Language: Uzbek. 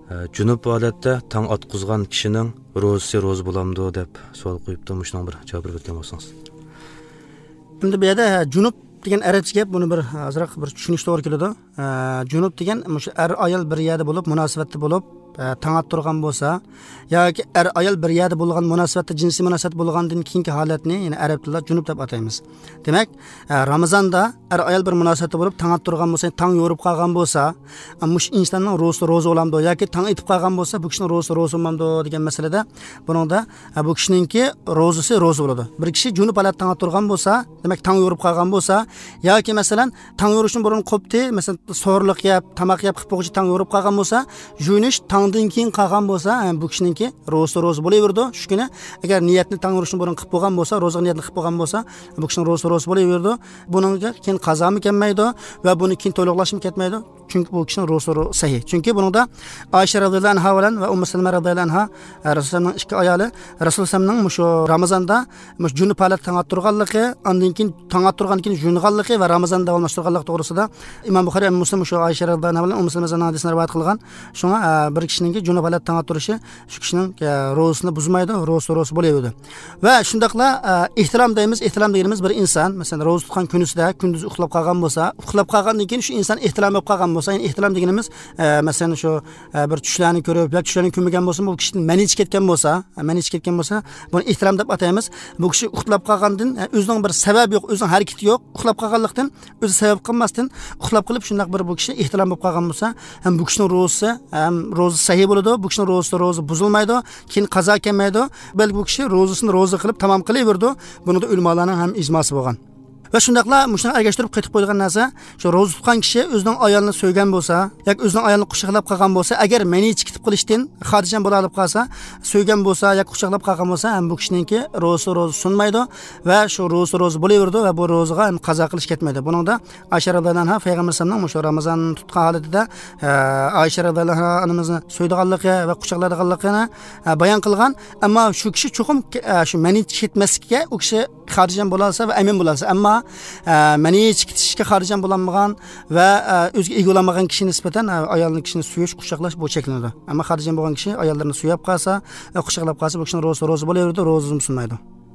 Junub holatda tong otqizgan kishining ro'zasi ro'za bo'lamdi deb savol qo'yibdi. Shunga bir javob berib o'tgan bo'lsangiz. Endi bu yerda junub degan arabcha gap, buni bir ozroq bir tushunish to'g'ri keladi. Junub degan o'sha er ayol bir yerda bo'lib, munosabatda bo'lib, tong ottirgan bo'lsa yoki er ayol bir yerda bo'lgan munosabatda jinsiy munosabat bo'lgandan keyingi holatni, ya'ni arab tilida junub deb ataymiz. Demak, Ramazonda er ayol bir munosabatda bo'lib tong ottirgan bo'lsa, tong yo'rib qolgan bo'lsa, mush insonning ro'zasi ro'za bo'lamdi yoki tong etib qolgan bo'lsa, bu kishining ro'zasi ro'za bo'lmamdi degan masalada buningda bu kishininki ro'zasi ro'za bo'ladi. Bir kishi junub holatda tong ottirgan bo'lsa, demak tong yo'rib qolgan bo'lsa yoki masalan tong yo'rishdan burun qopti, masalan so'rliq yeb, tomoq yeb qilib qo'yib tong yo'rib qolgan bo'lsa, yuvinish tongdan keyin qolgan bo'lsa, bu kishiningki ro'zasi ro'za bo'laverdi. Shu kuni agar niyatni tong urishdan burun qilib bo'lgan bo'lsa, ro'za niyatini qilib bo'lgan bo'lsa, bu kishining ro'zasi ro'za bo'laverdi. Buningga keyin qazomi kelmaydi va buni keyin to'liqlashmi ketmaydi. Chunki bu kishining ro'zasi sahih. Chunki buningda Oysha radhiyallohu anha bilan va Ummu Salama radhiyallohu anha Rasulullohning ikki ayoli Rasulullohning shu Ramazonda junub holatda tong ottirganligi, undan keyin tong ottirgandan keyin yunganligi va Ramazonda davomlashtirganligi to'g'risida Imom Buxoriy va Muslim shu Oysha radhiyallohu anha bilan Ummu Salama hadisini rivoyat qilgan. Shunga bir kishining junub holatda tong ottirishi shu kishining ro'zasini buzmaydi, ro'zasi ro'za bo'laveradi. Va shundaqla ehtirom deymiz. Ehtirom deganimiz bir inson masalan ro'za tutgan kunisida kunduz uxlab qolgan bo'lsa, uxlab qolgandan keyin shu inson ehtirom bo'lib qolgan bo'lsa, ya'ni ehtirom deganimiz masalan shu bir tushlarni ko'rib yoki tushlarni ko'rmagan bo'lsa, bu kishining mani ichib ketgan bo'lsa, mani ichib ketgan bo'lsa, buni ehtirom deb ataymiz. Bu kishi uxlab qolgandan o'zining bir sababi yo'q, o'zining harakati yo'q, uxlab qolganlikdan o'zi sabab qilmasdan uxlab qilib shundoq bir bu kishi ehtirom bo'lib qolgan bo'lsa, ham bu kishining ro'zasi ham ro'za sahih bo'ladi, bu kishining ro'zasi ro'za buzilmaydi, keyin qazo kelmaydi, balki bu kishi ro'zasini ro'za qilib tamom qilaverdi. Buni da ulamolarning ham ijmosi bo'lgan. Va shundaqla mushuni ergashtirib qaytib qo'ydigan narsa, shu ro'za tutgan kishi o'zining ayolini so'ygan bo'lsa yoki o'zining ayolini quchoqlab qolgan bo'lsa, agar meni chiqitib qilishdan xotirjam bo'la olib qolsa, so'ygan bo'lsa yoki quchoqlab qolgan bo'lsa, ham bu kishiningki ro'zasi ro'za sunmaydi va shu ro'zasi ro'za bo'laverdi va bu ro'zaga ham qazo qilish ketmaydi. Buningda Oysha radhiyallohu anha payg'ambar sollallohu shu Ramazon tutgan holatida Oysha radhiyallohu anha onamizni so'ydiganligi va quchoqlaganligini bayon qilgan. Ammo shu kishi cho'qim shu meni ketmaslikka u kishi xotirjam bo'la olsa va amin bo'la olsa, ammo mani chiqitishga xotirjam bo'lolmagan va o'ziga ega bo'lolmagan kishi nisbatan ayolni kishini suyish, quchoqlash bu cheklanadi. Ammo xotirjam bo'lgan kishi ayollarni suyab qolsa, quchoqlab qolsa, bu kishining ro'zasi ro'za bo'laveradi, ro'zasini buzmaydi.